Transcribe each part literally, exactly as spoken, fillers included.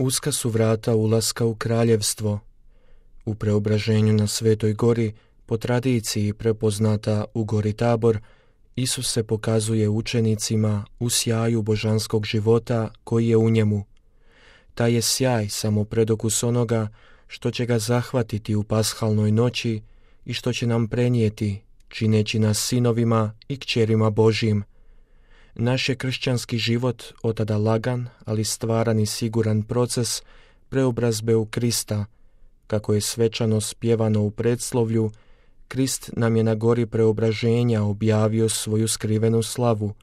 Uska su vrata ulaska u kraljevstvo. U preobraženju na Svetoj gori, po tradiciji prepoznata u gori Tabor, Isus se pokazuje učenicima u sjaju božanskog života koji je u njemu. Taj je sjaj samo predokus onoga što će ga zahvatiti u pashalnoj noći i što će nam prenijeti, čineći nas sinovima i kćerima Božjim. Naš je kršćanski život otada lagan, ali stvaran i siguran proces preobrazbe u Krista. Kako je svečano spjevano u predslovlju, Krist nam je na gori preobraženja objavio svoju skrivenu slavu.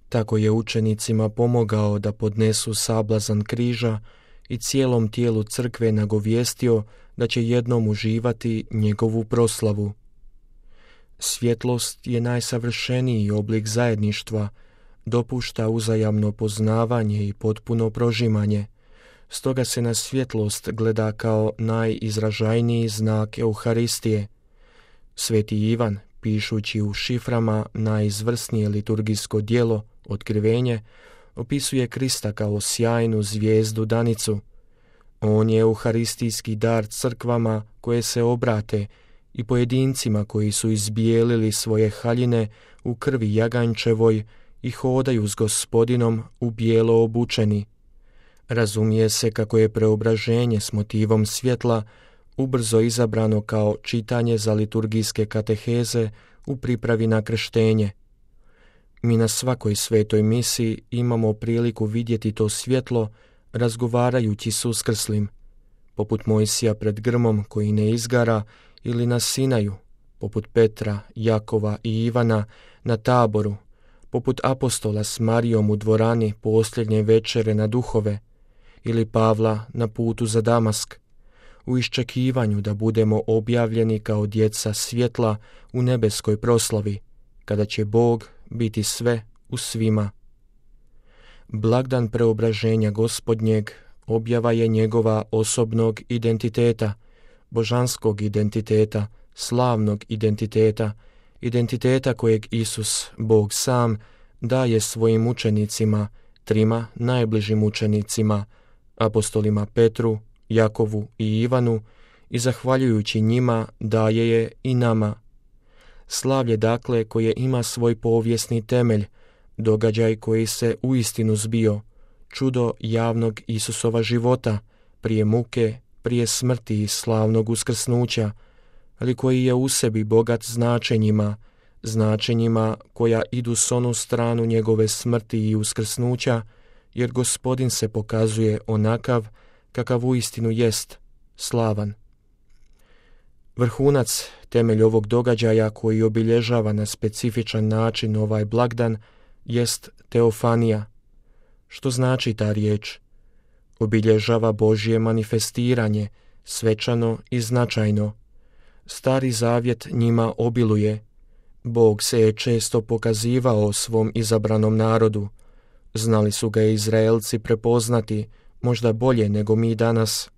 Tako je učenicima pomogao da podnesu sablazan križa i cijelom tijelu crkve nagovijestio da će jednom uživati njegovu proslavu. Svjetlost je najsavršeniji oblik zajedništva, dopušta uzajamno poznavanje i potpuno prožimanje. Stoga se na svjetlost gleda kao najizražajniji znak Euharistije. Sveti Ivan, pišući u šiframa najizvrsnije liturgijsko djelo, Otkrivenje, opisuje Krista kao sjajnu zvijezdu danicu. On je euharistijski dar crkvama koje se obrate i pojedincima koji su izbijelili svoje haljine u krvi jaganjčevoj i hodaju s Gospodinom u bijelo obučeni. Razumije se kako je preobraženje s motivom svjetla ubrzo izabrano kao čitanje za liturgijske kateheze u pripravi na krštenje. Mi na svakoj svetoj misi imamo priliku vidjeti to svjetlo razgovarajući s uskrslim, poput Mojsija pred grmom koji ne izgara, ili na Sinaju, poput Petra, Jakova i Ivana na Taboru, poput apostola s Marijom u dvorani posljednje večere na duhove, ili Pavla na putu za Damask, u iščekivanju da budemo objavljeni kao djeca svjetla u nebeskoj proslavi, kada će Bog biti sve u svima. Blagdan preobraženja Gospodnjeg objava je njegova osobnog identiteta, božanskog identiteta, slavnog identiteta, identiteta kojeg Isus, Bog sam, daje svojim učenicima, trima najbližim učenicima, apostolima Petru, Jakovu i Ivanu, i zahvaljujući njima daje je i nama. Slavlje dakle koje ima svoj povijesni temelj, događaj koji se uistinu zbio, čudo javnog Isusova života, prije muke, prije smrti i slavnog uskrsnuća, ali koji je u sebi bogat značenjima, značenjima koja idu s onu stranu njegove smrti i uskrsnuća, jer Gospodin se pokazuje onakav kakav uistinu jest, slavan. Vrhunac, temelj ovog događaja koji obilježava na specifičan način ovaj blagdan, jest teofanija. Što znači ta riječ? Obilježava Božje manifestiranje, svečano i značajno. Stari zavjet njima obiluje. Bog se je često pokazivao svom izabranom narodu. Znali su ga Izraelci prepoznati, možda bolje nego mi danas.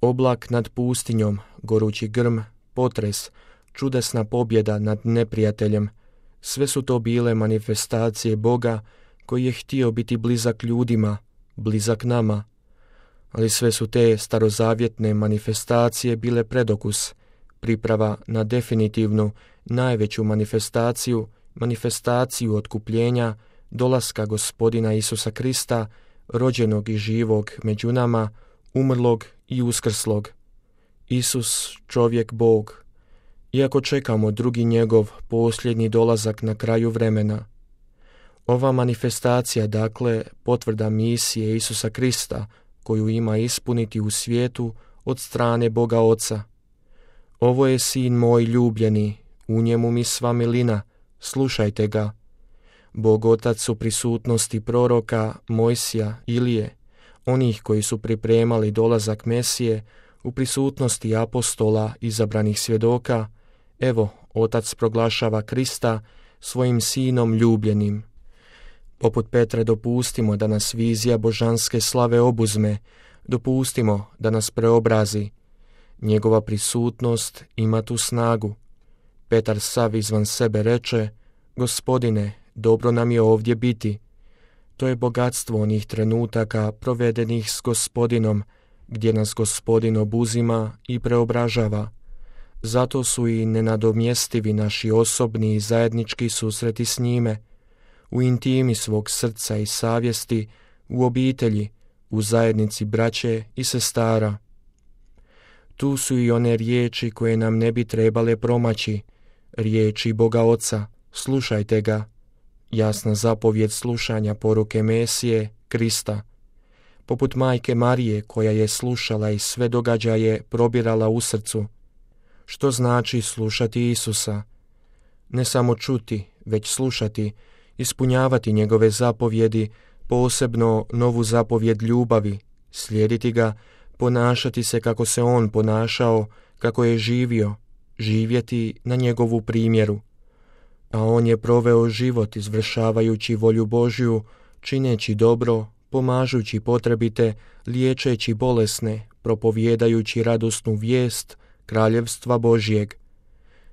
Oblak nad pustinjom, gorući grm, potres, čudesna pobjeda nad neprijateljem, sve su to bile manifestacije Boga koji je htio biti blizak ljudima, blizak nama. Ali sve su te starozavjetne manifestacije bile predokus, priprava na definitivnu, najveću manifestaciju, manifestaciju otkupljenja, dolaska Gospodina Isusa Krista, rođenog i živog među nama, umrlog i uskrslog. Isus, čovjek Bog. Iako čekamo drugi njegov posljednji dolazak na kraju vremena. Ova manifestacija, dakle, potvrda misije Isusa Krista, koju ima ispuniti u svijetu od strane Boga Oca. Ovo je sin moj ljubljeni, u njemu mi sva milina, slušajte ga. Bog Otac u prisutnosti proroka Mojsija, Ilije, onih koji su pripremali dolazak Mesije, u prisutnosti apostola izabranih svjedoka, evo, Otac proglašava Krista svojim sinom ljubljenim. Poput Petra dopustimo da nas vizija božanske slave obuzme, dopustimo da nas preobrazi. Njegova prisutnost ima tu snagu. Petar sav izvan sebe reče, Gospodine, dobro nam je ovdje biti. To je bogatstvo onih trenutaka provedenih s Gospodinom, gdje nas Gospodin obuzima i preobražava. Zato su i nenadomjestivi naši osobni i zajednički susreti s njime, u intimi svog srca i savjesti, u obitelji, u zajednici braće i sestara. Tu su i one riječi koje nam ne bi trebale promaći, riječi Boga Oca, slušajte ga, jasna zapovjed slušanja poruke Mesije, Krista, poput majke Marije koja je slušala i sve događaje probirala u srcu. Što znači slušati Isusa? Ne samo čuti, već slušati, ispunjavati njegove zapovjedi, posebno novu zapovjed ljubavi, slijediti ga, ponašati se kako se on ponašao, kako je živio, živjeti na njegovu primjeru. A on je proveo život izvršavajući volju Božju, čineći dobro, pomažući potrebite, liječeći bolesne, propovjedajući radosnu vijest Kraljevstva Božjeg.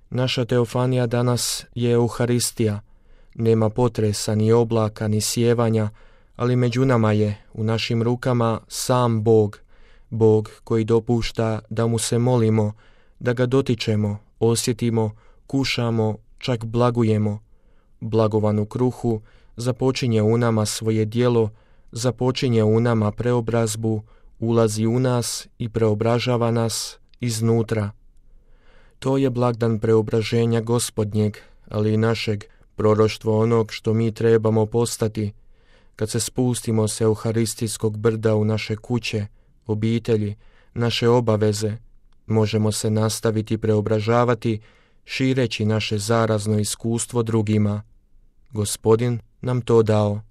Naša teofanija danas je Euharistija. Nema potresa, ni oblaka, ni sjevanja, ali među nama je, u našim rukama, sam Bog, Bog koji dopušta da mu se molimo, da ga dotičemo, osjetimo, kušamo, čak blagujemo. Blagovanu kruhu započinje u nama svoje djelo, započinje u nama preobrazbu, ulazi u nas i preobražava nas iznutra. To je blagdan preobraženja Gospodnjeg, ali i našeg, proroštvo onog što mi trebamo postati, kad se spustimo s euharistijskog brda u naše kuće, obitelji, naše obaveze, možemo se nastaviti preobražavati, šireći naše zarazno iskustvo drugima. Gospodin nam to dao.